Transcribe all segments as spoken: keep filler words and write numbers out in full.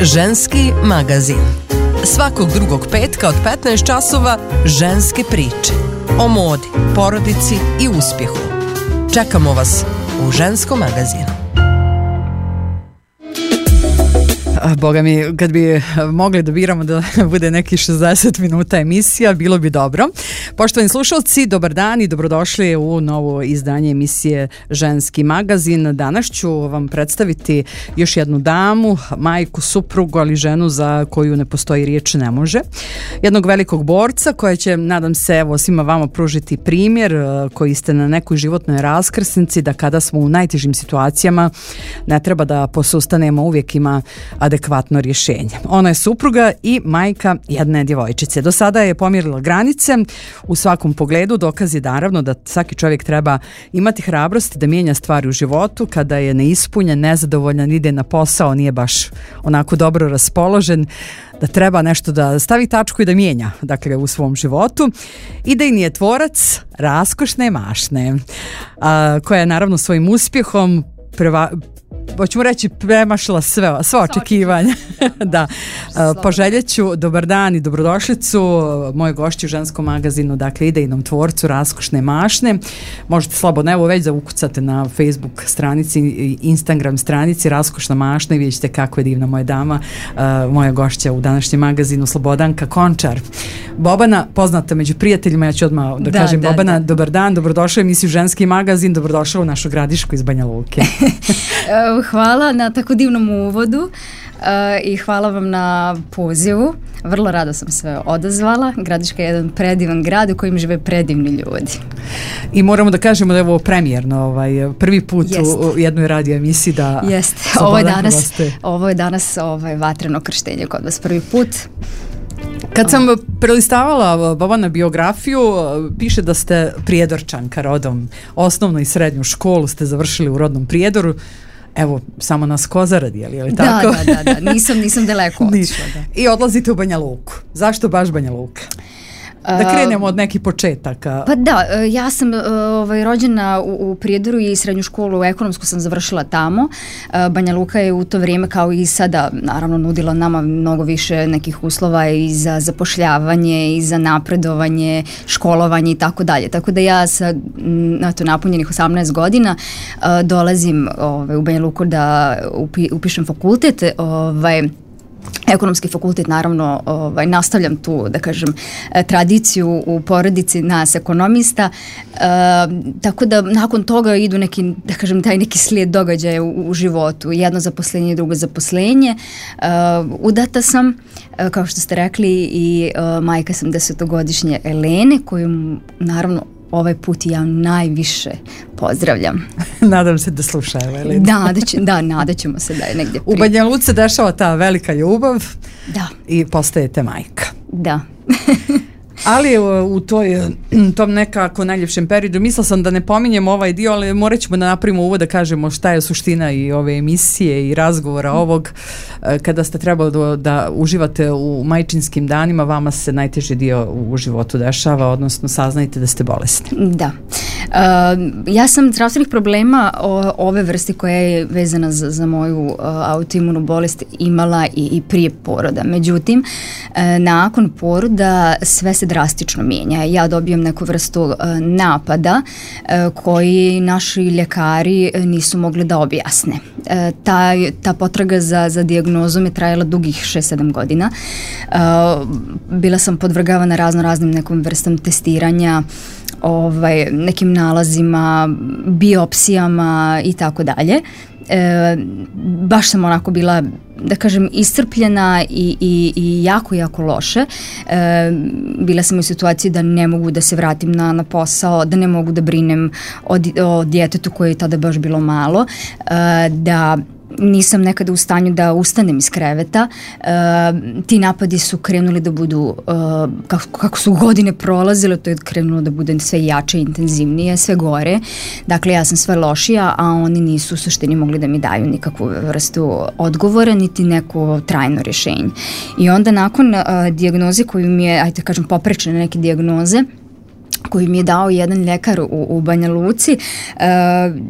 Ženski magazin. Svakog drugog petka od petnaest časova ženske priče. O modi, porodici i uspjehu. Čekamo vas u Ženskom magazinu. Boga mi, kad bi mogli da biramo da bude neki šezdeset minuta emisija, bilo bi dobro. Poštovani slušalci, dobar dan i dobrodošli u novo izdanje emisije Ženski magazin. Danas ću vam predstaviti još jednu damu, majku, suprugu, ali ženu za koju ne postoji riječ ne može. Jednog velikog borca koja će, nadam se, evo, svima vama pružiti primjer koji ste na nekoj životnoj raskrsnici, da kada smo u najtežim situacijama ne treba da posustanemo, uvijek ima adekvatno rješenje. Ona je supruga i majka jedne djevojčice. Do sada je pomjerila granice u svakom pogledu. Dokaz je naravno da svaki čovjek treba imati hrabrosti da mijenja stvari u životu kada je neispunjen, nezadovoljan, ide na posao, nije baš onako dobro raspoložen, da treba nešto da stavi tačku i da mijenja, dakle, u svom životu. Idejni je tvorac raskošne mašne, a, koja je naravno svojim uspjehom preva hoćemo reći premašila sve, sve očekivanja. Da. Poželjeću dobar dan i dobrodošlicu moje gošći u Ženskom magazinu, dakle idejnom tvorcu raskošne mašne. Možete slobodno evo već da ukucate na Facebook stranici i Instagram stranici Raskošna mašna i vidjet ćete kako je divna moja dama, moja gošća u današnjem magazinu, Slobodanka Končar. Bobana, poznata među prijateljima, ja ću odmah da, da kažem da, Bobana, da. Dobar dan, dobrodošla u emisiju Ženski magazin, dobrodošla u našu Gradišku iz Banja Luke. Hvala na tako divnom uvodu uh, i hvala vam na pozivu. Vrlo rado sam se odazvala. Gradiška je jedan predivan grad u kojem žive predivni ljudi. I moramo da kažemo da je ovo premijerno, ovaj, prvi put Jest. u jednoj radio emisiji da... Jeste, ovo je danas, ovo je danas ovaj, vatreno krštenje kod vas prvi put. Kad sam prelistavala Bobana biografiju, piše da ste Prijedorčanka rodom. Osnovnu i srednju školu ste završili u rodnom Prijedoru. Evo, samo nas Kozarad, je li, je li tako? Da, da, da, nisam, nisam daleko otišla. I odlazite u Banja Luku. Zašto baš Banja Luka? Da krenemo od nekih početaka. Pa da, ja sam ovaj, rođena u, u Prijedoru i srednju školu ekonomsku sam završila tamo. Banja Luka je u to vrijeme kao i sada naravno nudila nama mnogo više nekih uslova i za zapošljavanje i za napredovanje, školovanje i tako dalje. Tako da ja sa eto, napunjenih osamnaest godina dolazim ovaj, u Banja Luku da upi, upišem fakultet. Ovaj, Ekonomski fakultet, naravno, ovaj, nastavljam tu, da kažem, tradiciju u porodici nas ekonomista, e, tako da nakon toga idu neki, da kažem, taj neki slijed događaja u, u životu, jedno zaposlenje i drugo zaposlenje. E, udata sam, e, kao što ste rekli, i e, majka sam desetogodišnje Elene, koju, naravno, ovaj put ja najviše pozdravljam. Nadam se da slušaju, Elena. Da, nada, će, da, nada ćemo se da je negdje prije. U Banja Luci se dešava ta velika ljubav da. I postajete majka. Da. Ali u toj, tom nekako najljepšem periodu, mislila sam da ne pominjem ovaj dio, ali morat ćemo da napravimo uvod da kažemo šta je suština i ove emisije i razgovora ovog. Kada ste trebali da, da uživate u majčinskim danima, vama se najteži dio u životu dešava, odnosno saznajte da ste bolesni. Da. Uh, ja sam zdravstvenih problema o, ove vrste koja je vezana za, za moju uh, autoimunu bolest imala i, i prije poroda. Međutim, uh, nakon poroda sve se drastično mijenja. Ja dobijem neku vrstu uh, napada uh, koji naši ljekari nisu mogli da objasne. Uh, ta, ta potraga za, za dijagnozom je trajala dugih šest sedam godina. Uh, bila sam podvrgavana razno raznim nekom vrstom testiranja, ovaj, nekim nalazima, biopsijama i tako dalje. E, baš sam onako bila, da kažem, iscrpljena i, i, i jako, jako loše. E, bila sam u situaciji da ne mogu da se vratim na, na posao, da ne mogu da brinem o, o djetetu koje je tada baš bilo malo, e, da nisam nekada u stanju da ustanem iz kreveta. E, ti napadi su krenuli da budu, e, kako, kako su godine prolazile, to je krenulo da bude sve jače, intenzivnije, sve gore. Dakle, ja sam sve lošija, a oni nisu u suštini mogli da mi daju nikakvu vrstu odgovora, niti neko trajno rješenje. I onda nakon e, dijagnoze koju mi je, ajde kažem, poprečne neke dijagnoze, koji mi je dao jedan ljekar u, u Banja Luci. Uh,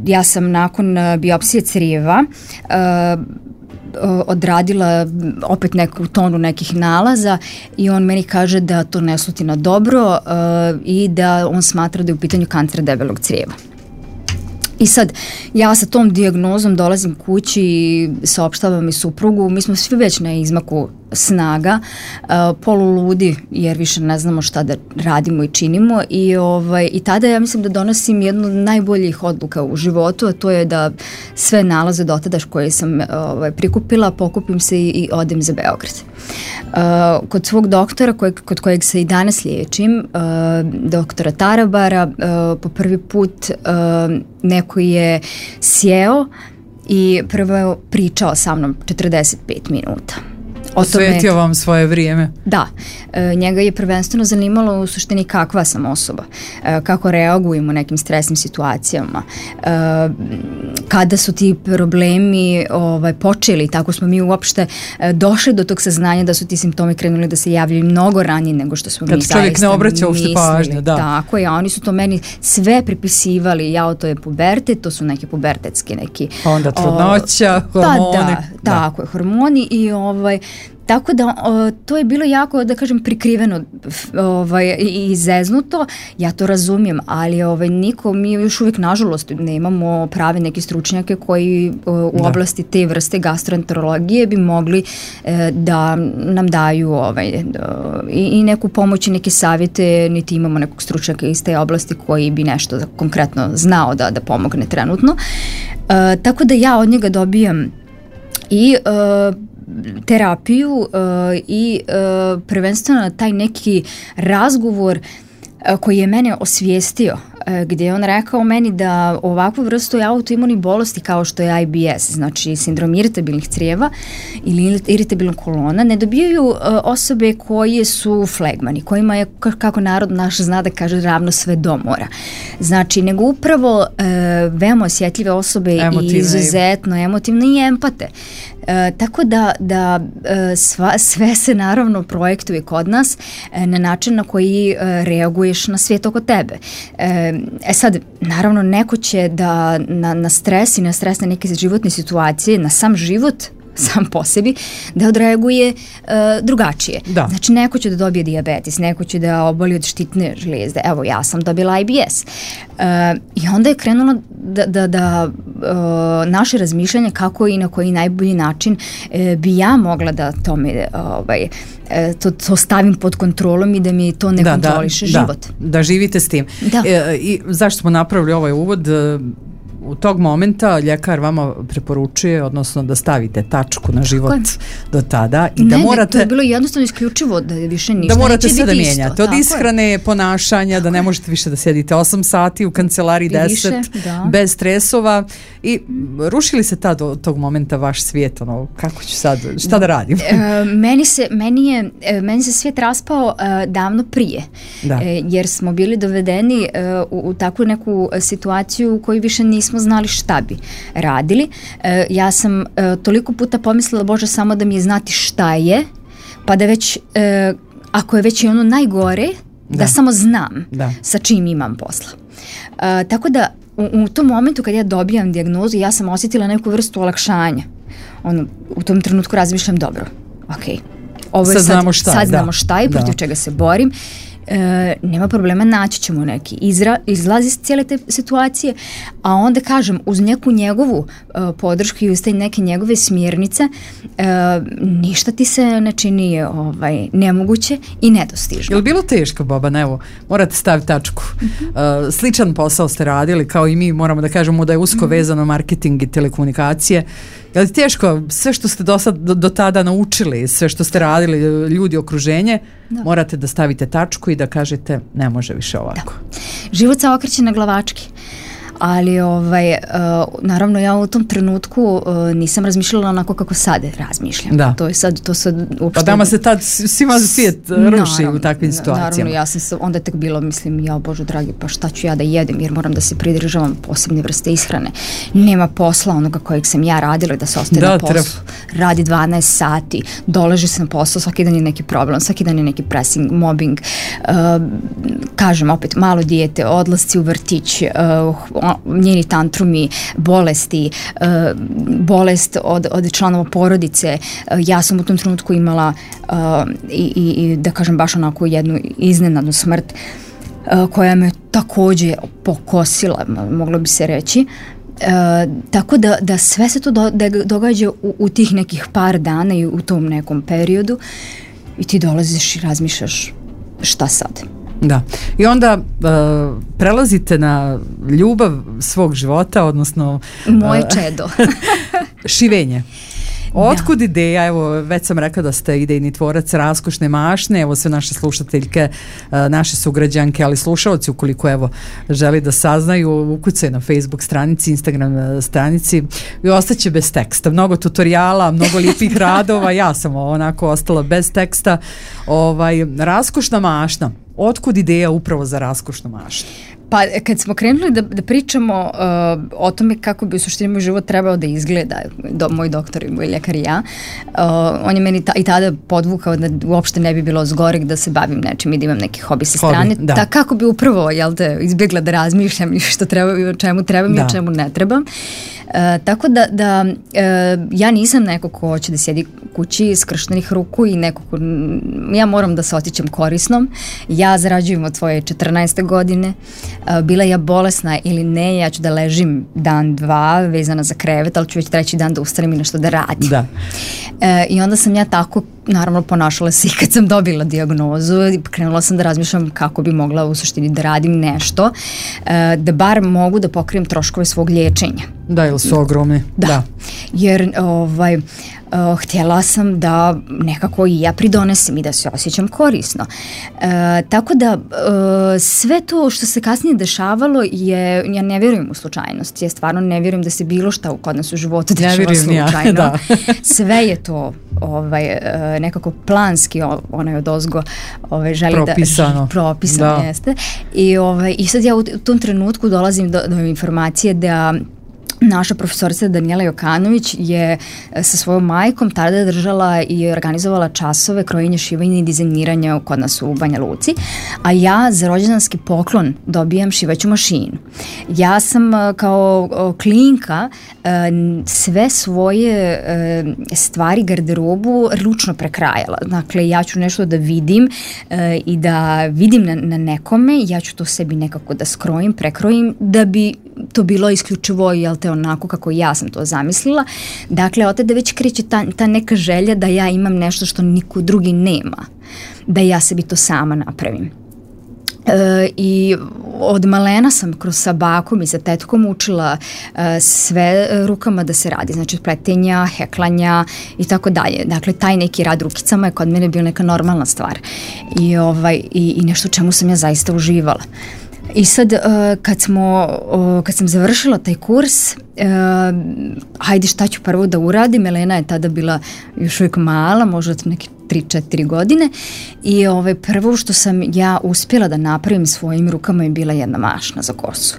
ja sam nakon biopsije crijeva uh, odradila opet neku tonu nekih nalaza i on meni kaže da to ne sluti na dobro uh, i da on smatra da je u pitanju kancer debelog crijeva. I sad, ja sa tom dijagnozom dolazim kući i saopštavam i suprugu, mi smo svi već na izmaku snaga, uh, poluludi jer više ne znamo šta da radimo i činimo i, ovaj, i tada ja mislim da donosim jednu od najboljih odluka u životu, a to je da sve nalaze dotada koje sam ovaj, prikupila, pokupim se i, i odem za Beograd. Uh, kod svog doktora kojeg, kod kojeg se i danas liječim, uh, doktora Tarabara, uh, po prvi put uh, neko je sjeo i prvo pričao sa mnom četrdeset pet minuta. Osvetio vam svoje vrijeme. Da, e, njega je prvenstveno zanimalo u suštini kakva sam osoba, e, kako reagujem u nekim stresnim situacijama, e, kada su ti problemi ovaj, počeli, tako smo mi uopšte e, došli do tog saznanja da su ti simptomi krenuli da se javljaju mnogo ranije nego što smo kad mi zaista mislili. Kad čovjek ne obraća uopšte pažnju, da. Tako je, a oni su to meni sve pripisivali, ja, to je pubertet, to su neke pubertetski neki... Onda trudnoća, o, hormoni. Da, da, tako je, hormoni i ovaj... Tako da o, to je bilo jako, da kažem, prikriveno ovaj, i zeznuto, ja to razumijem, ali ovaj, niko, mi još uvijek nažalost nemamo prave neke stručnjake koji o, u da. oblasti te vrste gastroenterologije bi mogli e, da nam daju ovaj, da, i, i neku pomoć i neke savjete, niti imamo nekog stručnjaka iz te oblasti koji bi nešto konkretno znao da, da pomogne trenutno. E, tako da ja od njega dobijam i e, terapiju uh, i uh, prvenstveno taj neki razgovor uh, koji je mene osvijestio, uh, gdje je on rekao meni da ovakvu vrstu autoimunih bolesti kao što je I B S, znači sindrom iritabilnih crijeva ili iritabilnog kolona, ne dobijaju uh, osobe koje su flegmani, kojima je, kako narod naš zna da kaže, ravno sve do mora. Znači, nego upravo uh, veoma osjetljive osobe emotivne. I izuzetno emotivne i empate. E, tako da, da e, sva, sve se naravno projektuje kod nas e, na način na koji e, reaguješ na svijet oko tebe. E, e sad, naravno, neko će da na, na stres i na stresne neke životne situacije, na sam život sam po sebi, da odreaguje uh, drugačije. Da. Znači, neko će da dobije dijabetes, neko će da oboli od štitne žlijezde. Evo, ja sam dobila I B S. Uh, I onda je krenulo da, da, da uh, naše razmišljanje kako i na koji najbolji način uh, bi ja mogla da tome ovaj, to, to stavim pod kontrolom i da mi to ne da, kontroliše da, život. Da, da živite s tim. Da. E, i zašto smo napravili ovaj uvod? U tog momenta ljekar vama preporučuje, odnosno da stavite tačku na život do tada i ne, da morate... Ne, to je bilo jednostavno isključivo da više ništa da morate sve da isto. mijenjate. Od ishrane, ponašanja, tako da ne možete više da sjedite osam sati u kancelariji deset, da. Bez stresova. I rušili se tad od tog momenta vaš svijet, ono, kako ću sad, šta da radim? E, meni, se, meni, je, meni se svijet raspao e, davno prije, e, jer smo bili dovedeni e, u, u takvu neku situaciju u kojoj više nismo znali šta bi radili. E, ja sam e, toliko puta pomislila, Bože, samo da mi je znati šta je, pa da već, e, ako je već i ono najgore, da, da samo znam da. Sa čim imam posla. E, tako da u, u tom momentu kad ja dobijam dijagnozu, ja sam osjetila neku vrstu olakšanja. Ono, u tom trenutku razmišljam, dobro, ok, ovo je sad, sad znamo šta, sad znamo šta je, protiv čega se borim. E, nema problema, naći ćemo neki izra, izlaz iz cijele te situacije, a onda kažem, uz neku njegovu e, podršku i uz te neke njegove smjernice, e, ništa ti se ne čini ovaj, nemoguće i nedostižno. Je li bilo teško, Boban? Evo, morate staviti tačku. Uh-huh. E, sličan posao ste radili, kao i mi, moramo da kažemo da je usko uh-huh. vezano marketing i telekomunikacije. Je li teško, sve što ste do, sad, do, do tada naučili, sve što ste radili, ljudi, okruženje, da. Morate da stavite tačku i da kažete ne može više ovako. Da. Život se okreće na glavački. Ali ovaj, uh, naravno ja u tom trenutku uh, nisam razmišljala onako kako sad razmišljam. Da. To je sad, to sad uopšte... Pa dama se tad svima svijet ruši u takvim situacijama. Naravno, ja sam se onda tek bilo, mislim, ja Bože dragi, pa šta ću ja da jedem, jer moram da se pridržavam posebne vrste ishrane. Nema posla onoga kojeg sam ja radila, da se ostaje da, na poslu. Tref. Radi dvanaest sati, dolaži se na posao, svaki dan je neki problem, svaki dan je neki pressing, mobbing, uh, kažem opet, malo dijete, odlasci u vrtić, uh, njeni tantrumi, bolesti, uh, bolest od, od članova porodice. Uh, ja sam u tom trenutku imala uh, i, i, i da kažem baš onako jednu iznenadnu smrt uh, koja me takođe pokosila, moglo bi se reći. Uh, tako da, da sve se to do, da događa u, u tih nekih par dana i u tom nekom periodu i ti dolaziš i razmišljaš šta sad. Da. I onda uh, prelazite na ljubav svog života, odnosno moje uh, čedo. šivenje. Otkud da. ideja, evo već sam rekla da ste idejni tvorac Raskošne mašne, evo sve naše slušateljke, naše sugrađanke, ali slušalci ukoliko evo želi da saznaju, ukucaju na Facebook stranici, Instagram stranici i ostaće bez teksta. Mnogo tutoriala, mnogo lijepih radova, ja sam onako ostala bez teksta. Ovaj, Raskošna mašna, otkud ideja upravo za Raskošnu mašnu? Pa kad smo krenuli da, da pričamo uh, o tome kako bi u suštini moj život trebao da izgleda, do, moj doktor i moj ljekar i ja, uh, on je meni ta, i tada podvukao da uopšte ne bi bilo zgoreg da se bavim nečim i da imam neki hobi sa strane. Da. Da, kako bi upravo, jel te, izbjegla da razmišljam i što treba, i o čemu trebam da. i o čemu ne trebam. Uh, tako da, da uh, ja nisam neko ko hoće da sjedi kući skrštenih ruku i neko ko, ja moram da se osjećam korisnom. Ja zarađujem od svoje četrnaeste godine. Uh, bila ja bolesna ili ne, ja ću da ležim dan, dva, vezana za krevet, ali ću već treći dan da ustanem i nešto da radim. Da. Uh, I onda sam ja tako, naravno, ponašala se i kad sam dobila dijagnozu, krenula sam da razmišljam kako bi mogla u suštini da radim nešto, uh, da bar mogu da pokrijem troškove svog liječenja. Da, ili su ogromni. Da, da. Jer ovaj, uh, htjela sam da nekako i ja pridonesem i da se osjećam korisno. Uh, tako da uh, sve to što se kasnije dešavalo je, ja ne vjerujem u slučajnost, ja stvarno ne vjerujem da se bilo šta kod nas u životu dešava slučajno. Ja, sve je to ovaj, uh, nekako planski onaj odozgo ovaj, želi propisano. da propisano da. Jeste. I, ovaj, i sad ja u tom trenutku dolazim do, do informacije da naša profesorica Danijela Jokanović je sa svojom majkom tada držala i organizovala časove krojenja, šivanja i dizajniranja kod nas u Banja Luci, a ja za rođendanski poklon dobijam šivaću mašinu. Ja sam kao klinka sve svoje stvari, garderobu ručno prekrajala. Dakle, ja ću nešto da vidim i da vidim na, na nekome, ja ću to sebi nekako da skrojim, prekrojim, da bi to bilo isključivo, jel te, onako kako ja sam to zamislila. Dakle, od tada već kreće ta, ta neka želja da ja imam nešto što niko drugi nema. Da ja sebi to sama napravim. E, I od malena sam kroz sa bakom i sa tetkom učila e, sve rukama da se radi. Znači, pletenja, heklanja i tako dalje. Dakle, taj neki rad rukicama je kod mene bio neka normalna stvar. I, ovaj, i, i nešto čemu sam ja zaista uživala. I sad, uh, kad, smo, uh, kad sam završila taj kurs, uh, hajde šta ću prvo da uradim, Elena je tada bila još uvijek mala, možda neke tri četiri godine i ovaj, prvo što sam ja uspjela da napravim svojim rukama je bila jedna mašna za kosu.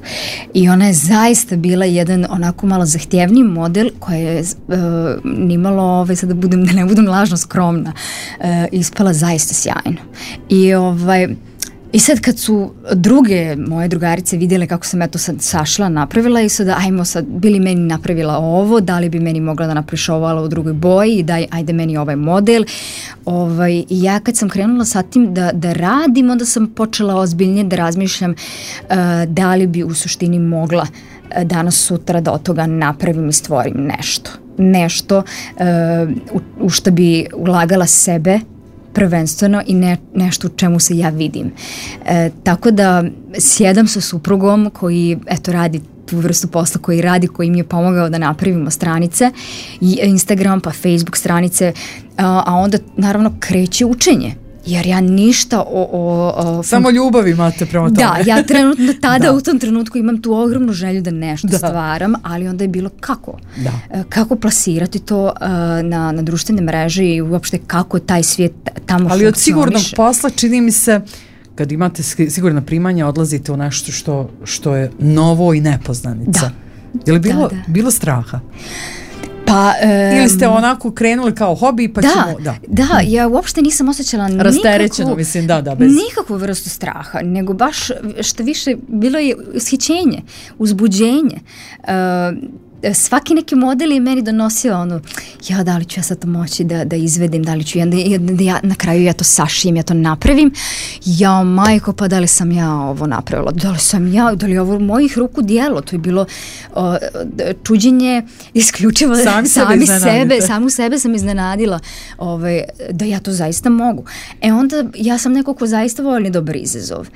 I ona je zaista bila jedan onako malo zahtjevniji model koja je uh, nimalo, ovaj, sad da, budem, da ne budem lažno skromna, uh, ispala zaista sjajno. I ovaj... I sad kad su druge moje drugarice vidjele kako sam ja to sad sašla, napravila i sad ajmo sad, bili meni napravila ovo, da li bi meni mogla da napraviš ovo u drugoj boji i daj, ajde meni ovaj model. Ovaj, I ja kad sam krenula sa tim da, da radim, onda sam počela ozbiljnije da razmišljam uh, da li bi u suštini mogla uh, danas sutra da od toga napravim i stvorim nešto. Nešto uh, u, u što bi ulagala sebe prvenstveno i ne, nešto u čemu se ja vidim. E, tako da sjedam sa suprugom koji eto radi tu vrstu posla koji radi, koji mi je pomogao da napravimo stranice, Instagram pa Facebook stranice, a, a onda naravno kreće učenje. Jer ja ništa o... o, o Samo ljubav imate prema tome. Da, ja trenutno tada da. u tom trenutku imam tu ogromnu želju da nešto da. stvaram, ali onda je bilo kako? Da. Kako plasirati to uh, na, na društvene mreže i uopšte kako taj svijet tamo ali funkcioniše. Od sigurnog posla čini mi se kad imate sigurna primanja odlazite u nešto što, što je novo i nepoznanica. Da. Je li bilo, da, da. bilo straha? Pa, um, ili ste onako krenuli kao hobi pa da, ćemo... Da, da, ja uopšte nisam osjećala rasterećeno, mislim, da, da, bez... nikakvu vrstu straha, nego baš što više bilo je ushićenje, uzbuđenje. Uh, svaki neki model je meni donosio ono, ja da li ću ja sad to moći da, da izvedim, da li ću ja, da, da ja na kraju ja to sašijem, ja to napravim, ja majko, pa da li sam ja ovo napravila, da li sam ja, da li je ovo mojih ruku dijelo, to je bilo o, čuđenje isključivo Sam sami sebe, sebe, samu sebe sam iznenadila ovaj, da ja to zaista mogu. E onda ja sam neko ko zaista voli dobar izazov.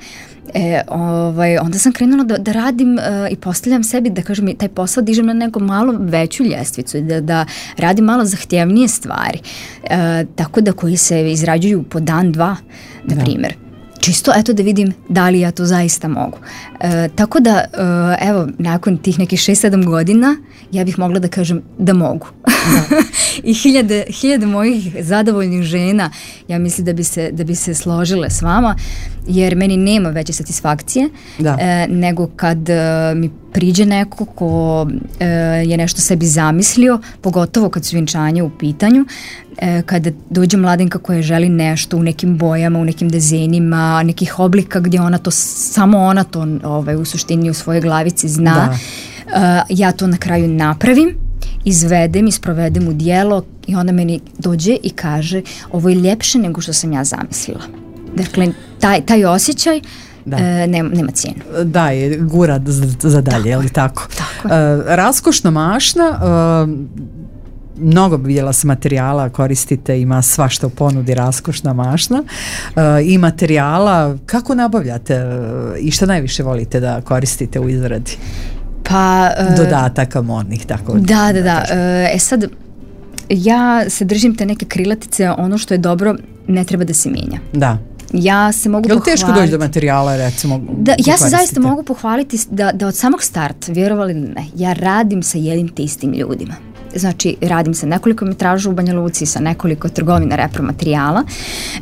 E, ovaj, onda sam krenula da, da radim uh, i postavljam sebi da kažem taj posao dižem na neku malo veću ljestvicu, da, da radim malo zahtjevnije stvari, uh, tako da koji se izrađuju po dan, dva, na primjer. Čisto eto da vidim da li ja to zaista mogu. E, tako da, e, evo, nakon tih nekih šest sedam godina ja bih mogla da kažem da mogu. Da. I hiljade, hiljade mojih zadovoljnih žena, ja mislim da bi se, da bi se složile s vama, jer meni nema veće satisfakcije e, nego kad e, mi priđe neko ko e, je nešto sebi zamislio, pogotovo kad su vjenčanja u pitanju, e, kada dođe mladenka koja želi nešto u nekim bojama, u nekim dizajnima, nekih oblika gdje ona to, samo ona to ovaj, u suštini u svojoj glavici zna, e, ja to na kraju napravim, izvedem i sprovedem u djelo i ona meni dođe i kaže ovo je ljepše nego što sam ja zamislila. Dakle, taj, taj osjećaj Da. E, nema, nema cijenu. Da, je gura za, za dalje, je li tako? Tako. E, raskošna mašna, e, mnogo bijela s materijala koristite, ima svašta u ponudi raskošna mašna e, i materijala. Kako nabavljate e, i šta najviše volite da koristite u izradi? Pa, e, dodataka modnih, tako da, da, da. E, e sad, ja se držim te neke krilatice, ono što je dobro ne treba da se mijenja. Da. Ja se mogu Jel pohvaliti. teško doći do materijala, recimo? Da, ja se zaista mogu pohvaliti da, da od samog starta, vjerovali ne, ja radim sa jednim te istim ljudima. Znači, radim sa nekoliko metraža u Banja Luci, sa nekoliko trgovina repromaterijala.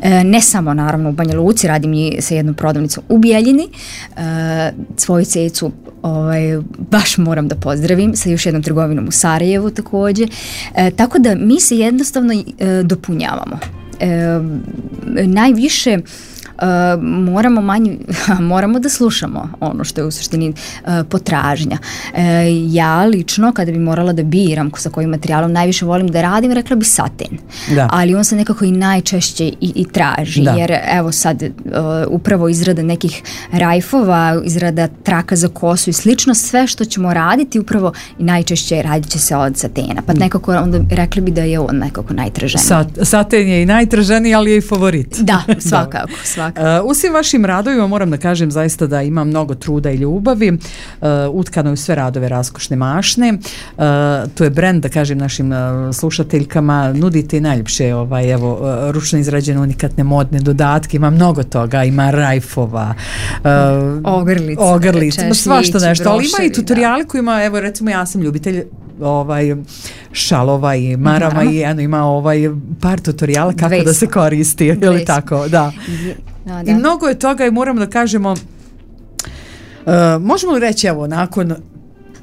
E, ne samo, naravno, u Banja Luci, radim i sa jednom prodavnicom u Bijeljini. E, svoju cecu ovaj, baš moram da pozdravim, sa još jednom trgovinom u Sarajevu također. E, tako da mi se jednostavno e, dopunjavamo. E, najviše Uh, moramo manje, moramo da slušamo ono što je u suštini uh, potražnja. Uh, ja lično kada bi morala da biram sa kojim materijalom najviše volim da radim, rekla bi satin. Da. Ali on se nekako i najčešće i, i traži, da. Jer evo sad uh, upravo izrada nekih rajfova, izrada traka za kosu i slično, sve što ćemo raditi upravo i najčešće radit će se od satena. Pa nekako onda rekli bi da je on nekako najtraženiji. Sat, saten je i najtraženiji, ali je i favorit. Da, svakako, svakako. Uh, u svim vašim radovima moram da kažem zaista da ima mnogo truda i ljubavi, uh, utkano je u sve radove raskošne mašne, uh, to je brend, da kažem našim uh, slušateljkama, nudite i najljepše ovaj, evo, uh, ručno izrađene unikatne modne dodatke, ima mnogo toga, ima rajfova, uh, ogrlice, ogrlice, svašta nešto, ali ima i tutoriali koji ima, evo recimo ja sam ljubitelj ovaj šalova i marama i eno ima ovaj par tutoriala kako Dvesta. Da se koristi, je li tako? Da. No, da. I mnogo je toga i moramo da kažemo, uh, možemo li reći evo nakon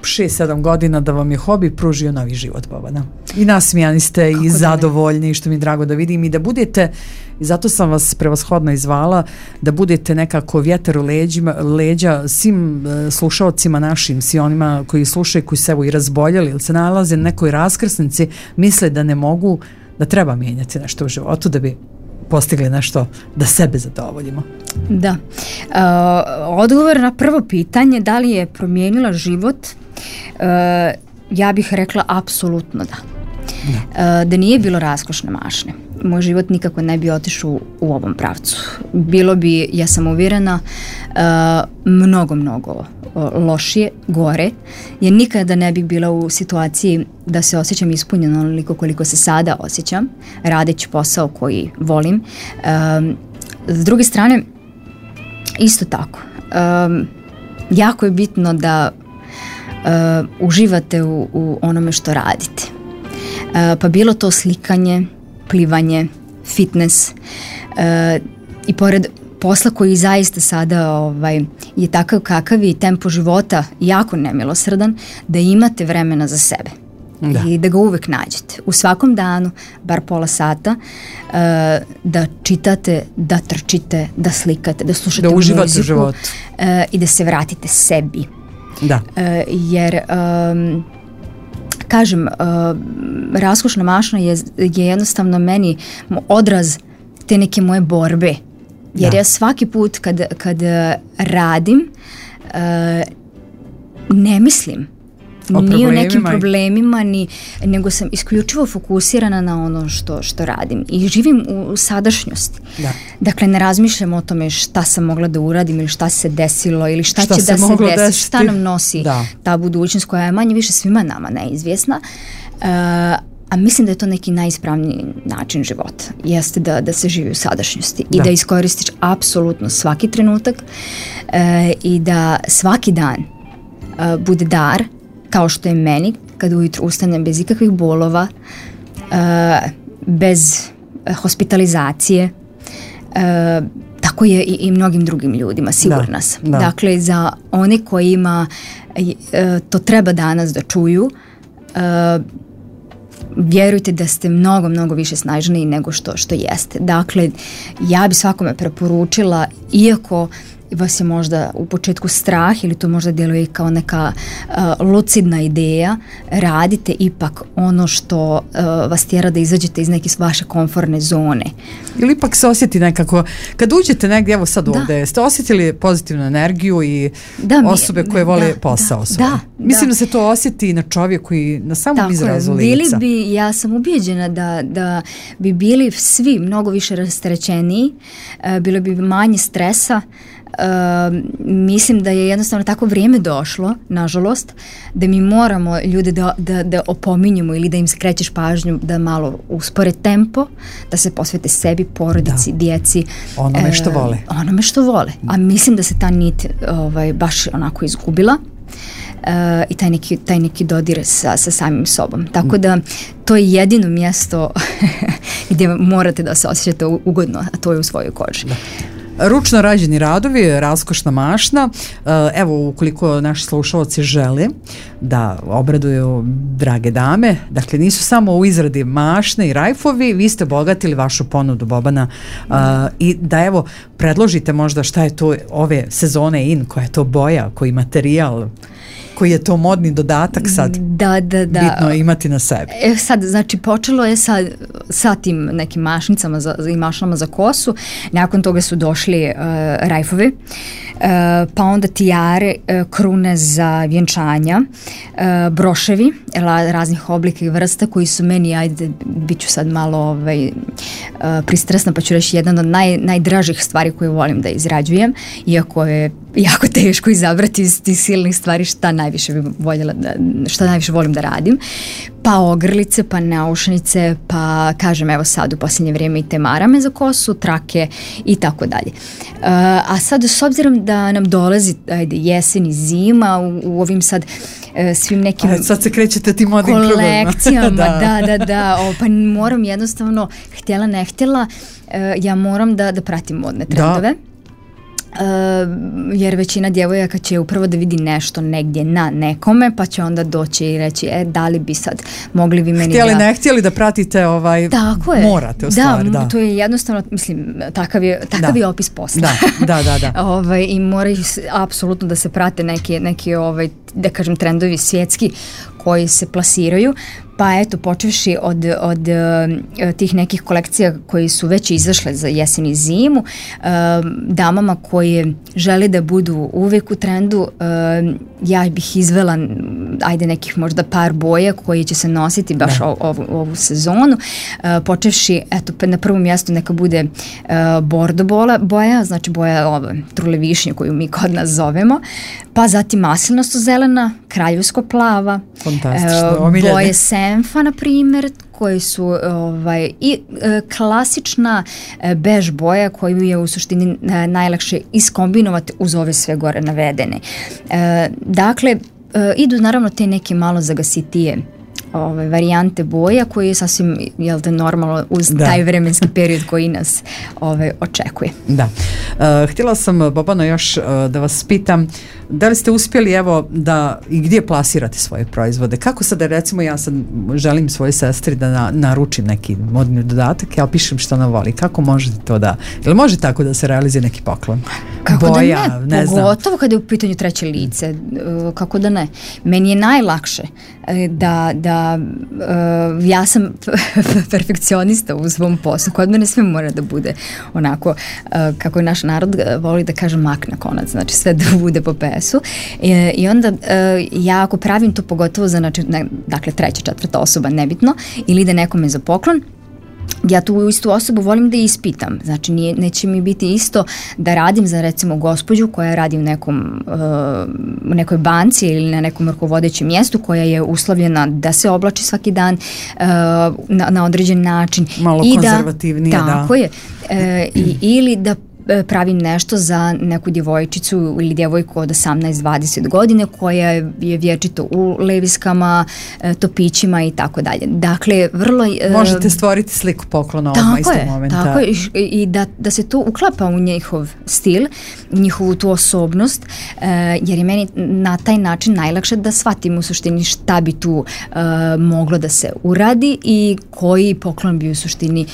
šest sedam godina da vam je hobi pružio novi život, Bobana. I nasmijani ste kako i zadovoljni, što mi je drago da vidim i da budete, i zato sam vas prevashodno izvala, da budete nekako vjetar u leđima, leđa svim uh, slušalcima našim, svi onima koji slušaju, koji se evo i razboljeli ili se nalaze na nekoj raskrsnici, misle da ne mogu, da treba mijenjati nešto u životu da bi postigli nešto da sebe zadovoljimo. Da. Uh, odgovor na prvo pitanje, da li je promijenila život, uh, ja bih rekla apsolutno da. Da. Uh, da nije bilo raskošne mašne, moj život nikako ne bi otišao u ovom pravcu. Bilo bi, ja sam uvjerena, uh, mnogo, mnogo uh, lošije, gore, jer nikada ne bih bila u situaciji da se osjećam ispunjeno onoliko koliko se sada osjećam, radeći posao koji volim. Um, s druge strane, isto tako, um, jako je bitno da uh, uživate u, u onome što radite. Uh, pa bilo to slikanje, plivanje, fitness uh, i pored posla koji zaista sada ovaj, je takav kakav i tempo života jako nemilosrdan, da imate vremena za sebe. Da. I da ga uvek nađete. U svakom danu, bar pola sata, uh, da čitate, da trčite, da slikate, da slušate da uživate muziku u životu. Uh, i da se vratite sebi. Da. Uh, jer um, kažem, uh, Raskošna mašna je, je jednostavno meni odraz te neke moje borbe. Jer da. ja svaki put kad, kad radim uh, ne mislim o ni o nekim problemima, ni, nego sam isključivo fokusirana na ono što, što radim i živim u, u sadašnjosti. Da. Dakle, ne razmišljam o tome šta sam mogla da uradim ili šta se desilo ili šta, šta će da se desi, desiti. Šta nam nosi da. ta budućnost koja je manje više svima nama neizvjesna. Uh, a mislim da je to neki najispravniji način života. Jeste da, da se živi u sadašnjosti da. i da iskoristiš apsolutno svaki trenutak uh, i da svaki dan uh, bude dar, kao što je meni, kad ujutru ustanem bez ikakvih bolova, uh, bez hospitalizacije, uh, tako je i, i mnogim drugim ljudima, sigurna sam. Da, da. Dakle, za one kojima uh, to treba danas da čuju, uh, vjerujte da ste mnogo, mnogo više snažniji nego što, što jeste. Dakle, ja bi svakome preporučila, iako vas je možda u početku strah ili to možda djeluje kao neka uh, lucidna ideja, radite ipak ono što uh, vas tjera da izađete iz neke vaše komfortne zone. Ili ipak se osjeti nekako, kad uđete negdje, evo sad da. ovdje, ste osjetili pozitivnu energiju i da, osobe koje vole da, posao svoj. Da, Mislim da. da se to osjeti na čovjeku i na samom Tako izrazu lica. Bili bi, ja sam ubijeđena da, da bi bili svi mnogo više rasterećeniji, uh, bilo bi manje stresa. Uh, mislim da je jednostavno tako vrijeme došlo, nažalost, da mi moramo ljude da, da, da opominjemo ili da im skrećeš pažnju da malo uspore tempo, da se posvete sebi, porodici, da. djeci. Onome što vole. Uh, onome što vole. A mislim da se ta nit ovaj, baš onako izgubila. Uh, i taj neki, taj neki dodir sa, sa samim sobom. Tako da to je jedino mjesto gdje morate da se osjećate ugodno, a to je u svojoj koži. Da. Ručno rađeni radovi, Raskošna mašna. Evo, ukoliko naši slušalci žele da obraduju drage dame, dakle nisu samo u izradi mašne i rajfovi, vi ste obogatili vašu ponudu, Bobana, uh, i da evo predložite možda šta je to ove sezone in, koja je to boja, koji materijal, koji je to modni dodatak sad da, da, da. bitno imati na sebi. E, sad, znači, počelo je sa, sa tim nekim mašnicama za, i mašnama za kosu, nakon toga su došli uh, rajfovi, uh, pa onda tijare, uh, krune za vjenčanja, uh, broševi la, raznih oblika i vrsta koji su meni, ajde, bit ću sad malo ovaj, uh, pristrasna, pa ću reći jedan od naj, najdražih stvari koje volim da izrađujem, iako je jako teško izabrati iz tih silnih stvari šta najviše bi voljela da, šta najviše volim da radim. Pa ogrlice, pa naušnice, pa kažem evo sad u posljednje vrijeme i te marame za kosu, trake i tako dalje. Uh, a sad s obzirom da nam dolazi ajde, jesen i zima u, u ovim sad uh, svim nekim a sad se krećete tim modnim kolekcijama, da, da, da, da o, pa moram jednostavno, htjela ne htjela, uh, ja moram da, da pratim modne trendove. Da. Uh, jer većina djevojaka će upravo da vidi nešto negdje na nekome, pa će onda doći i reći e, da li bi sad mogli vi meni htjeli da... ne htjeli da pratite ovaj Tako je. morate u stvari, da, da. To je jednostavno, mislim, takav je, takav da. je opis posla. Da, da, da, da. ovaj, i moraju apsolutno da se prate neki, neki ovaj, da kažem trendovi svjetski koji se plasiraju. Pa eto, počevši od, od uh, tih nekih kolekcija koji su već izašle za jesen i zimu, uh, damama koje žele da budu uvijek u trendu, uh, ja bih izvela ajde nekih možda par boja koji će se nositi baš o, ovu, ovu sezonu. Uh, počevši, eto, na prvom mjestu neka bude uh, bordo bola, boja, znači boja ove trule višnje koju mi kod nas zovemo, pa zatim maslinasto zelena, kraljevsko plava, uh, boje senfa, na primjer, koji su ovaj, i e, klasična e, bež boja koju je u suštini e, najlakše iskombinovati uz ove sve gore navedene. E, dakle, e, idu naravno te neke malo zagasitije ove, varijante boja koji je sasvim, jel da, normalno uz da. taj vremenski period koji nas ove, očekuje. Da. Uh, htjela sam, Bobano, još uh, da vas pitam, da li ste uspjeli, evo, da i gdje plasirate svoje proizvode? Kako sada, recimo, ja sad želim svojoj sestri da na, naručim neki modni dodatak, ja pišem što ona voli. Kako možete to da, ili može tako da se realizuje neki poklon? Kako Boja, da ne, ne pogotovo znam. kada je u pitanju treće lice, kako da ne. Meni je najlakše da, da uh, ja sam perfekcionista u svom poslu, kod mene sve mora da bude onako, uh, kako je naš narod voli da kaže mak na konac, znači sve da bude po pesu. I, i onda uh, ja ako pravim to pogotovo za, znači, ne, dakle treća, četvrta osoba, nebitno, ili ide nekome za poklon, ja tu istu osobu volim da ispitam. Znači nije, neće mi biti isto da radim za recimo gospođu koja radi u nekom uh, nekoj banci ili na nekom rukovodećem mjestu koja je uslovljena da se oblači svaki dan uh, na, na određen način. Malo i konzervativnije, da. Tako da. je. E, i, ili da pravim nešto za neku djevojčicu ili djevojku od osamnaest dvadeset godine koja je vječito u leviskama, topićima i tako dalje. Dakle, vrlo... Možete stvoriti sliku poklona ovog istog momenta. Tako je, i da, da se to uklapa u njihov stil, njihovu tu osobnost, jer je meni na taj način najlakše da shvatim u suštini šta bi tu moglo da se uradi i koji poklon bi u suštini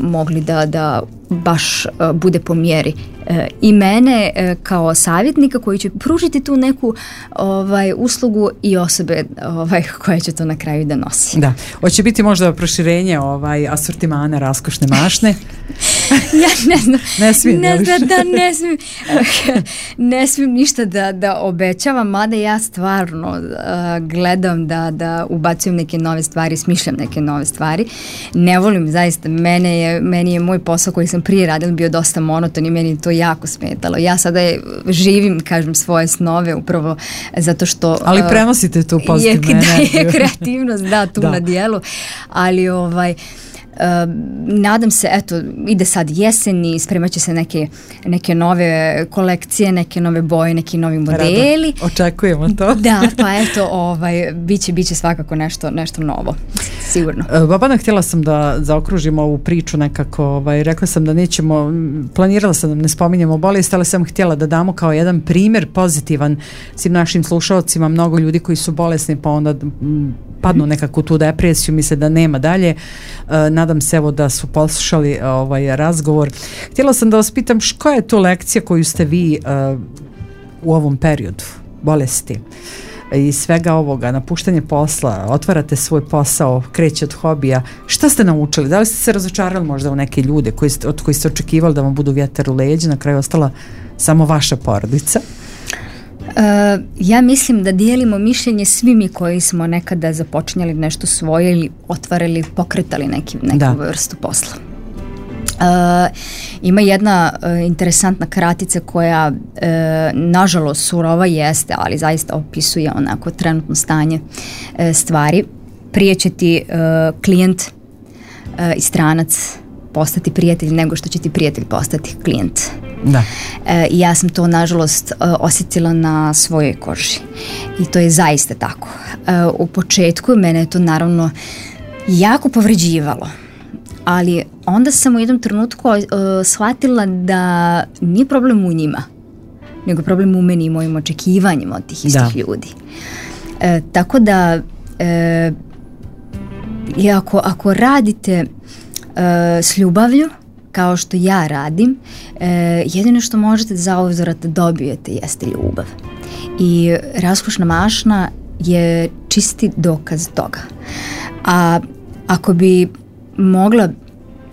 mogli da, da baš uh, bude po mjeri uh, i mene uh, kao savjetnika koji će pružiti tu neku ovaj, uslugu i osobe ovaj, koja će to na kraju da nosi. Da. Hoće biti možda proširenje ovaj, asortimana raskošne mašne? Ja ne znam. Ne smijem, ne znam, da ne smijem. Ne smijem ništa da, da obećavam, mada ja stvarno uh, gledam da, da ubacujem neke nove stvari, smišljam neke nove stvari. Ne volim zaista, mene je, meni je moj posao koji sam prije radila bio dosta monoton i meni je to jako smetalo. Ja sada je, živim, kažem, svoje snove upravo zato što... Ali prenosite tu pozitivnu energiju. Je kreativnost, da, tu da. Na dijelu, ali ovaj... Uh, nadam se, eto, ide sad jesen i spremat će se neke, neke nove kolekcije, neke nove boje, neki novi modeli. Rado. Očekujemo to. Da, pa eto, ovaj, biće, biće svakako nešto, nešto novo, sigurno. Uh, Babana, htjela sam da zaokružimo ovu priču nekako, ovaj, rekla sam da nećemo, planirala sam da ne spominjemo bolest, ali sam htjela da damo kao jedan primjer pozitivan svim našim slušalcima, mnogo ljudi koji su bolesni pa onda m, padnu nekako tu depresiju, misle da nema dalje. Uh, nadam se evo da su poslušali ovaj razgovor. Htjela sam da vas pitam koja je to lekcija koju ste vi uh, u ovom periodu bolesti i svega ovoga, napuštanje posla, otvarate svoj posao, kreće od hobija. Šta ste naučili? Da li ste se razočarali možda u neke ljude koji ste, od koji ste očekivali da vam budu vjetar u leđa, na kraju ostala samo vaša porodica? Uh, ja mislim da dijelimo mišljenje svi mi koji smo nekada započinjali nešto svoje ili otvarali, pokretali neki, neku da. vrstu posla. Uh, ima jedna uh, interesantna kratica koja uh, nažalost surova jeste, ali zaista opisuje onako trenutno stanje uh, stvari. Prije će ti uh, klijent uh, i stranac postati prijatelj nego što će ti prijatelj postati klijent. Da. E, ja sam to nažalost osjetila na svojoj koži i to je zaista tako. E, u početku mene je to naravno jako povređivalo, ali onda sam u jednom trenutku uh, shvatila da nije problem u njima, nego problem u meni i mojim očekivanjima od tih istih da. ljudi. E, tako da e, i ako, ako radite e, s ljubavlju, kao što ja radim, e, jedino što možete zauzvrat da dobijete jeste ljubav. I raskošna mašna je čisti dokaz toga. A ako bi mogla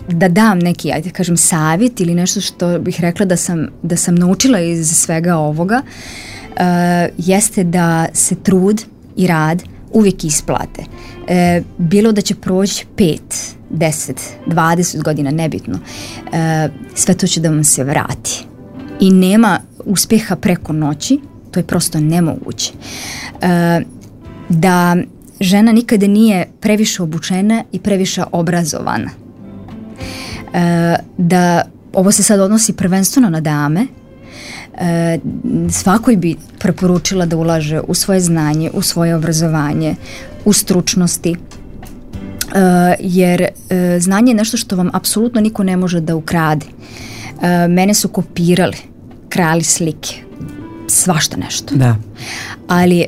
da dam neki, ajde kažem, savjet ili nešto što bih rekla da sam, da sam naučila iz svega ovoga, uh, jeste da se trud i rad uvijek isplate. Uh, bilo da će proći pet, deset, dvadeset godina, nebitno, uh, sve to će da vam se vrati. I nema uspjeha preko noći, to je prosto nemoguće. Uh, da žena nikada nije previše obučena i previše obrazovana. E, da ovo se sad odnosi prvenstveno na dame, e, svakoj bi preporučila da ulaže u svoje znanje, u svoje obrazovanje, u stručnosti, Uh, jer uh, znanje je nešto što vam apsolutno niko ne može da ukrade. Uh, mene su kopirali, krali slike, svašta nešto. Da. Ali,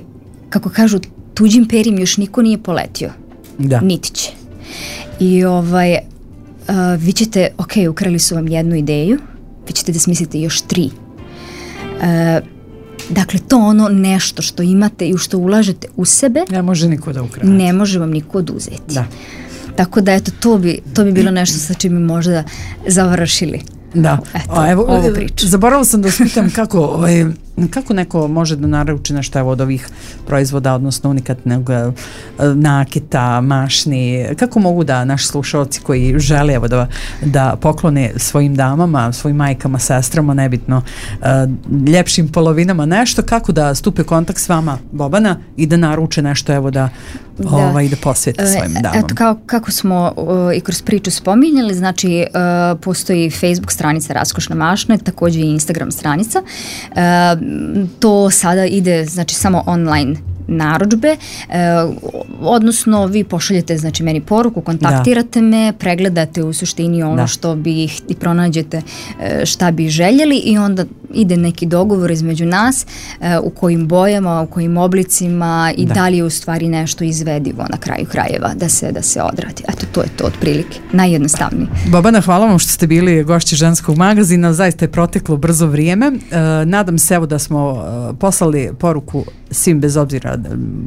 kako kažu, tuđim perim još niko nije poletio. Da. Niti će. I ovaj, uh, vi ćete, ok, ukrali su vam jednu ideju, vi ćete da smislite još tri. Uh, Dakle, to ono nešto što imate i u što ulažete u sebe, ne može niko da ukrade. Ne može vam niko oduzeti. Da. Tako da, eto, to bi, to bi bilo nešto sa čim bi možda završili. Da. Eto, A, evo, ovu priču. Zaboravila sam da spitam kako, ovaj, kako neko može da naruči nešto evo, od ovih proizvoda, odnosno unikatnog nakita, mašni, kako mogu da naši slušalci koji žele evo, da, da poklone svojim damama, svojim majkama, sestrama, nebitno, ljepšim polovinama nešto, kako da stupe kontakt s vama, Bobana, i da naruče nešto evo da, da. Ovaj, da posvete svojim damama. Eto, kao, kako smo uh, i kroz priču spominjali, znači uh, postoji Facebook stranica Raskošna mašna, također i Instagram stranica. Uh, to sada ide znači samo online narudžbe, e, odnosno vi pošaljete znači meni poruku, kontaktirate da. me, pregledate u suštini ono da. što bi i pronađete e, šta bi željeli i onda ide neki dogovor između nas e, u kojim bojama, u kojim oblicima i da. da li je u stvari nešto izvedivo na kraju krajeva da se, da se odradi. Eto, to je to otprilike. Najjednostavnije. Bobana, hvala vam što ste bili gošći Ženskog magazina, zaista je proteklo brzo vrijeme. E, nadam se evo da smo e, poslali poruku svim bez obzira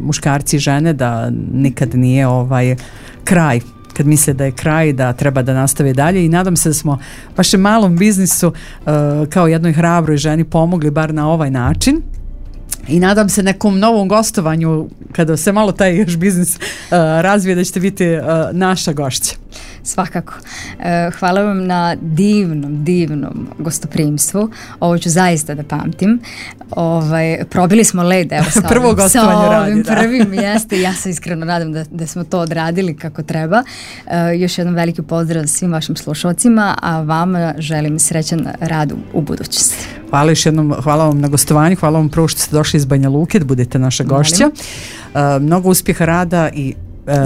muškarci i žene da nikad nije ovaj kraj, kad misle da je kraj, da treba da nastave dalje i nadam se da smo vašem malom biznisu uh, kao jednoj hrabroj ženi pomogli bar na ovaj način. I nadam se nekom novom gostovanju kada se malo taj još biznis uh, razvije da ćete biti uh, naša gošća. Svakako. E, hvala vam na divnom, divnom gostoprimstvu. Ovo ću zaista da pamtim. Ovaj, probili smo led, evo sa Prvo ovim, sa ovim radi, da. prvim jeste. Ja se iskreno nadam da, da smo to odradili kako treba. E, još jednom veliki pozdrav svim vašim slušalcima, a vama želim srećan rad u, u budućnosti. Hvala još jednom, hvala vam na gostovanju, hvala vam prvo što ste došli iz Banja Luke, da budete naša gošća. Uh, mnogo uspjeha rada i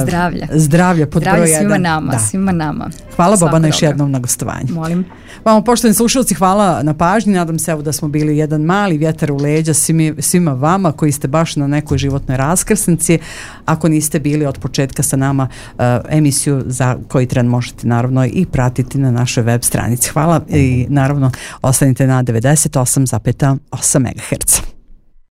Zdravlja. Zdravlja pod Zdravlja broj svima jedan. nama, Da. svima nama. Hvala Svako Bobana još dobro. jednom na gostovanju. Molim. Vama poštovani slušalci, hvala na pažnji. Nadam se evo da smo bili jedan mali vjetar u leđa svimi, svima vama koji ste baš na nekoj životnoj raskrsnici. Ako niste bili od početka sa nama, uh, emisiju za koji tren možete naravno i pratiti na našoj web stranici. Hvala i naravno ostanite na devedeset osam zarez osam megaherca.